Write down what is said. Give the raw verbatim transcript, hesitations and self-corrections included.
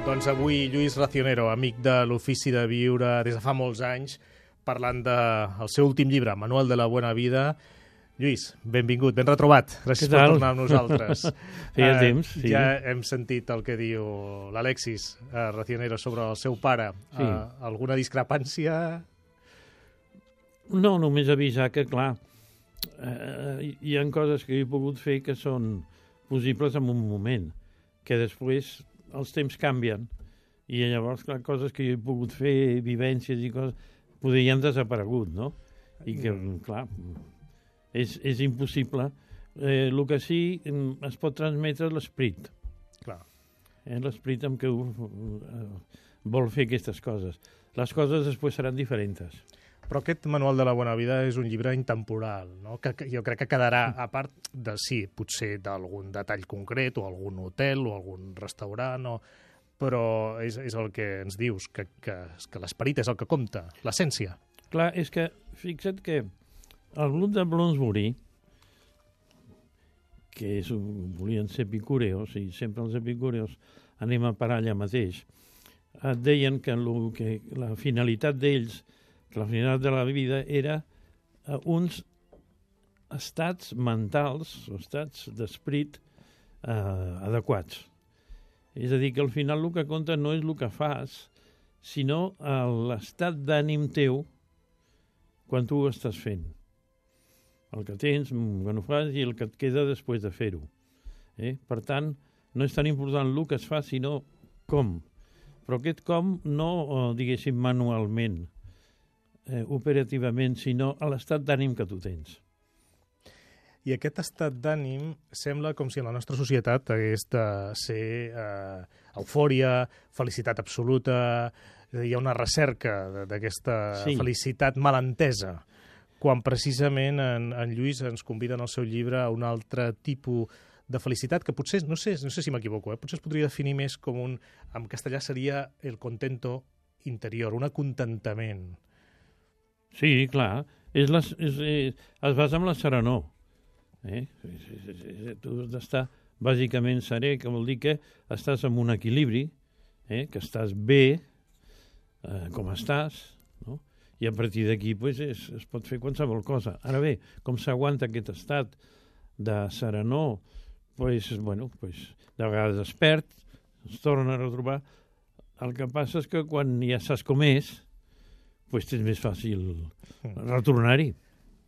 Doncs avui Lluís Racionero, amic de l'Ofici de Viure des de fa molts anys, parlant del seu últim llibre, Manual de la Buena Vida. Lluís, benvingut, ben retrobat. Gràcies per tornar amb nosaltres. Feia eh, temps, sí. Ja hem sentit el que diu l'Alexis eh, Racionero sobre el seu pare. Sí. Eh, alguna discrepància? No, només avisar que, clar, eh, hi ha coses que he pogut fer que són possibles en un moment, que després els temps canvien i llavors, clar, coses que jo he pogut fer, vivències i coses, podrien desaparegut, no? I que, clar, és, és impossible. Eh, el que sí es pot transmetre l'esperit. Clar. Eh, l'esperit amb què uh, vol fer aquestes coses. Les coses després seran diferents. Però aquest Manual de la Bona Vida és un llibre intemporal, no? Que, que jo crec que quedarà, a part de, sí, potser d'algun detall concret, o algun hotel, o algun restaurant, o... però és, és el que ens dius, que, que, que l'esperit és el que compta, l'essència. Clar, és que, fixa't que el grup de Bloomsbury, que és, volien ser epicureos, i sempre els epicureos anem a parar allà mateix, et deien que, lo, que la finalitat d'ells, que la finalitat de la vida era uh, uns estats mentals, o estats d'esperit uh, adequats. És a dir, que al final el que compta no és el que fas, sinó uh, l'estat d'ànim teu quan tu ho estàs fent. El que tens, quan ho fas, i el que et queda després de fer-ho. Eh? Per tant, no és tan important el que es fa, sinó com. Però aquest com no, uh, diguéssim, manualment, Eh, operativament, sinó a l'estat d'ànim que tu tens. I aquest estat d'ànim sembla com si en la nostra societat hagués de ser eh, eufòria, felicitat absoluta, hi ha una recerca d'aquesta sí. felicitat malentesa, quan precisament en, en Lluís ens convida en el seu llibre a un altre tipus de felicitat, que potser, no sé, no sé si m'equivoco, eh, potser es podria definir més com un, en castellà seria el contento interior, un acontentament. Sí, clar. És les, és, és, es basa en la serenor. Eh? És, és, és, és, tu has d'estar bàsicament serè, que vol dir que estàs en un equilibri, eh? Que estàs bé, eh, com estàs, no? I a partir d'aquí pues, es, es pot fer qualsevol cosa. Ara bé, com s'aguanta aquest estat de serenor, pues, bueno, pues, de vegades es perd, es torna a retrobar. El que passa és que quan ja saps com és, pues tens més fàcil retornar-hi.